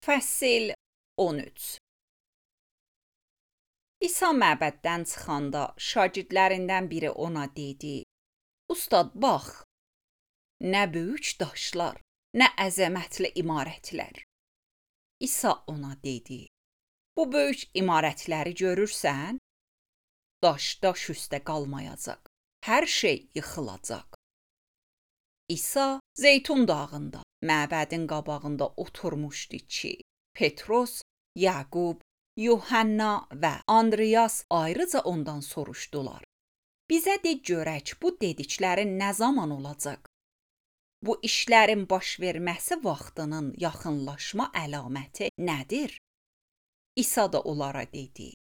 Fəsil 13. İsa məbəddən çıxanda şagirdlərindən biri ona dedi: "Ustad, bax, nə böyük daşlar, nə əzəmətli imarətlər." İsa ona dedi: "Bu böyük imarətləri görürsən? Daş üstə qalmayacaq, hər şey yıxılacaq." İsa Zeytun dağında, məbədin qabağında oturmuşdu ki, Petros, Yaqub, Yuhanna və Andreas ayrıca ondan soruşdular: "Bizə de görək, bu dediklərin nə zaman olacaq? Bu işlərin baş verməsi vaxtının yaxınlaşma əlaməti nədir?" İsa da onlara dedi: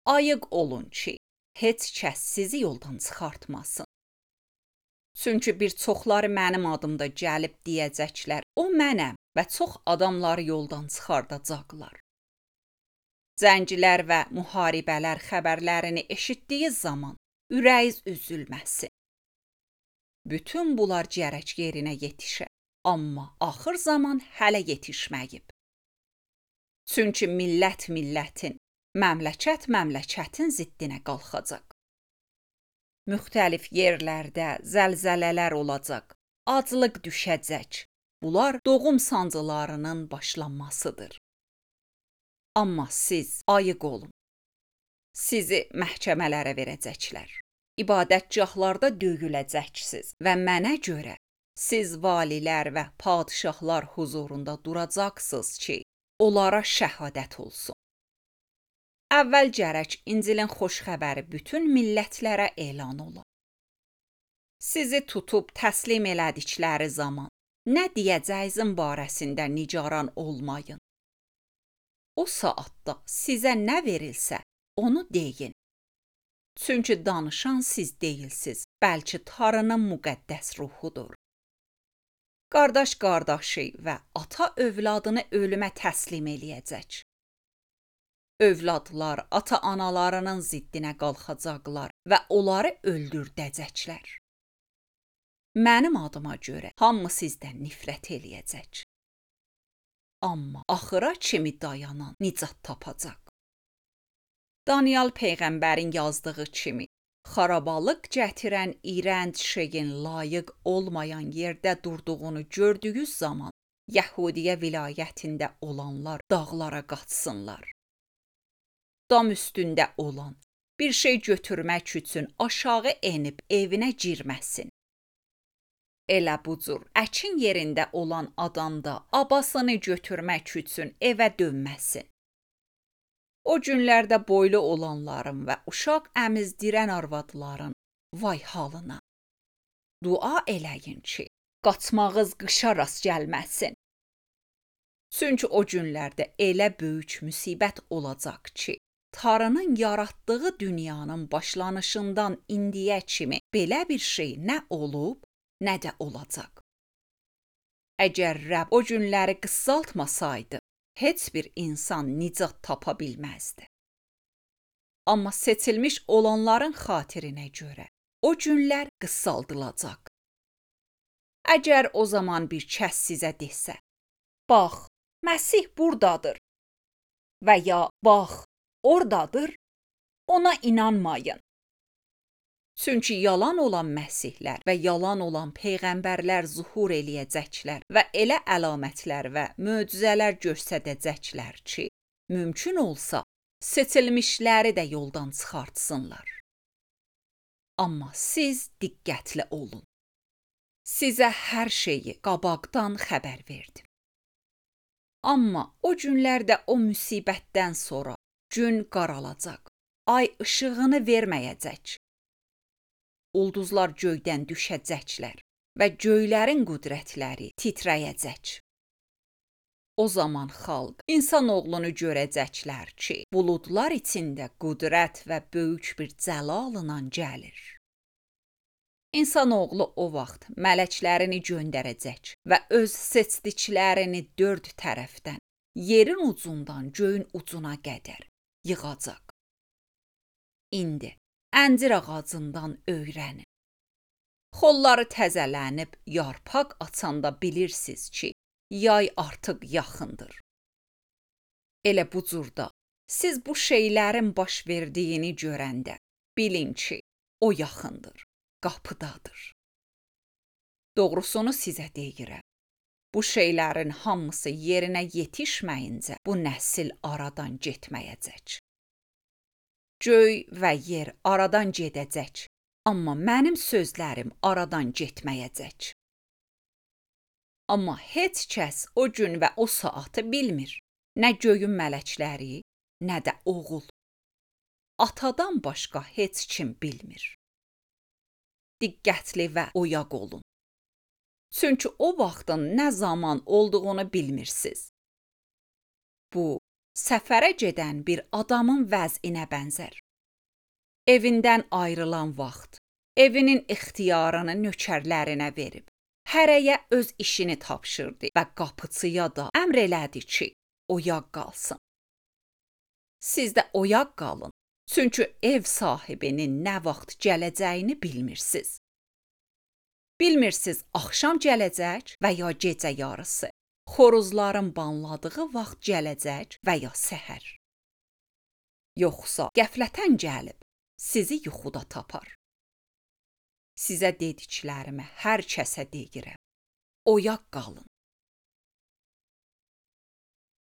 "Ayıq olun ki, heç kəs sizi yoldan çıxartmasın. Çünki bir çoxları mənim adımda gəlib deyəcəklər: 'O mənəm' və çox adamları yoldan çıxardacaqlar. Cənglər və müharibələr xəbərlərini eşitdiyi zaman ürəyiz üzülməsin. Bütün bunlar gərək yerinə yetişə, amma axır zaman hələ yetişməyib. Çünki millət millətin, məmləkətin ziddinə qalxacaq. Müxtəlif yerlərdə zəlzələlər olacaq, aclıq düşəcək. Bunlar doğum sancılarının başlanmasıdır. Amma siz ayıq olun. Sizi məhkəmələrə verəcəklər. İbadətgahlarda döyüləcəksiniz və mənə görə siz valilər və padişahlar huzurunda duracaqsınız ki, onlara şəhadət olsun. Əvvəl gərək İncilin xoş xəbəri bütün millətlərə elan ola. Sizi tutub təslim elədikləri zaman nə deyəcəyinizin barəsində nigaran olmayın. O saatda sizə nə verilsə, onu deyin. Çünki danışan siz deyilsiz, bəlkə Tanrının müqəddəs ruhudur. Qardaş qardaşı və ata övladını ölümə təslim eləyəcək. Övladlar ata-analarının ziddinə qalxacaqlar və onları öldürdəcəklər. Mənim adıma görə hamı sizdən nifrət eləyəcək. Amma axıra kimi dayanan nicat tapacaq. Daniel peyğəmbərin yazdığı kimi, xarabalıq gətirən iyrənc şeyin layiq olmayan yerdə durduğunu gördüyünüz zaman Yəhudiyə vilayətində olanlar dağlara qaçsınlar. Dam üstündə olan bir şey götürmək üçün aşağı enib evinə girməsin. Elə bu cür əkin yerində olan adam da abasını götürmək üçün evə dönməsin. O günlərdə boylu olanların və uşaq əmizdirən arvadların vay halına. Dua eləyin ki, qaçmağınız qışa rast gəlməsin. Çünki o günlərdə elə böyük müsibət olacaq ki, Tanrının yaratdığı dünyanın başlanışından indiyə kimi belə bir şey nə olub, nə də olacaq. Əgər Rəbb o günləri qısaltmasaydı, heç bir insan nicat tapa bilməzdi. Amma seçilmiş olanların xatirinə görə o günlər qısaldılacaq. Əgər o zaman bir kəs sizə desə: "Bax, Məsih buradadır" və ya "Bax, oradadır", ona inanmayın. Çünki yalan olan məsihlər və yalan olan peyğəmbərlər zuhur eləyəcəklər və elə əlamətlər və möcüzələr göstərəcəklər ki, mümkün olsa seçilmişləri də yoldan çıxartsınlar. Amma siz diqqətli olun. Sizə hər şeyi qabaqdan xəbər verdim. Amma o günlərdə o müsibətdən sonra gün qaralacaq, ay işığını verməyəcək. Ulduzlar göydən düşəcəklər və göylərin qüdrətləri titrəyəcək. O zaman xalq insanoğlunu görəcəklər ki, buludlar içində qüdrət və böyük bir cəlalla gəlir. İnsanoğlu o vaxt mələklərini göndərəcək və öz seçdiklərini dörd tərəfdən, yerin ucundan göyün ucuna qədər yığacaq. İndi əncir ağacından öyrənin. Xolları təzələnib yarpaq açanda bilirsiniz ki, yay artıq yaxındır. Elə bu cürdə siz bu şeylərin baş verdiyini görəndə bilin ki, o yaxındır, qapıdadır. Doğrusunu sizə deyirəm. Bu şeylərin hamısı yerinə yetişməyincə bu nəsil aradan getməyəcək. Göy və yer aradan gedəcək, amma mənim sözlərim aradan getməyəcək. Amma heç kəs o gün və o saatı bilmir. Nə göyün mələkləri, nə də oğul. Atadan başqa heç kim bilmir. Diqqətli və oyaq olun. Çünki o vaxtın nə zaman olduğunu bilmirsiniz. Bu, səfərə gedən bir adamın vəzinə bənzər. Evindən ayrılan vaxt, evinin ixtiyarını nökərlərinə verib, hərəyə öz işini tapşırdı və qapıçıya da əmr elədi ki, oyaq qalsın. Siz də oyaq qalın, çünki ev sahibinin nə vaxt gələcəyini bilmirsiniz. Bilmirsiniz axşam gələcək və ya gecə yarısı, xoruzların banladığı vaxt gələcək və ya səhər. Yoxsa qəflətən gəlib, sizi yuxuda tapar. Sizə dediklərimi hər kəsə deyirəm. Oyaq qalın.